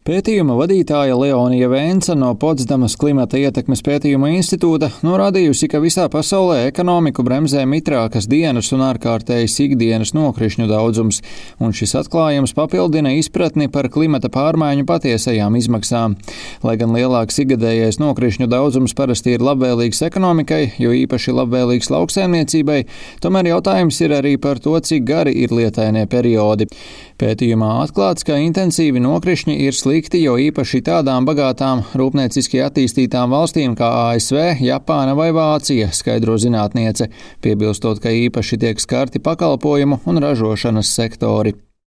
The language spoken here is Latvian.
Pētījuma vadītāja Leonija Vēnca no Potsdamas klimata ietekmes pētījuma institūta norādījusi, ka visā pasaulē ekonomiku bremzē mitrākas dienas un ārkārtējas ikdienas nokrišņu daudzums, un šis atklājums papildina izpratni par klimata pārmaiņu patiesajām izmaksām. Lai gan lielāks ikgadējais nokrišņu daudzums parasti ir labvēlīgs ekonomikai, jo īpaši labvēlīgs lauksaimniecībai, tomēr jautājums ir arī par to, cik gari ir lietainie periodi. Pētījumā atklāts, ka intensīvi nokrišņi ir slikti, jo īpaši tādām bagātām, rūpnieciski attīstītām valstīm kā ASV, Japāna vai Vācija, skaidro zinātniece, piebilstot, ka īpaši tiek skarti pakalpojumu un ražošanas sektori.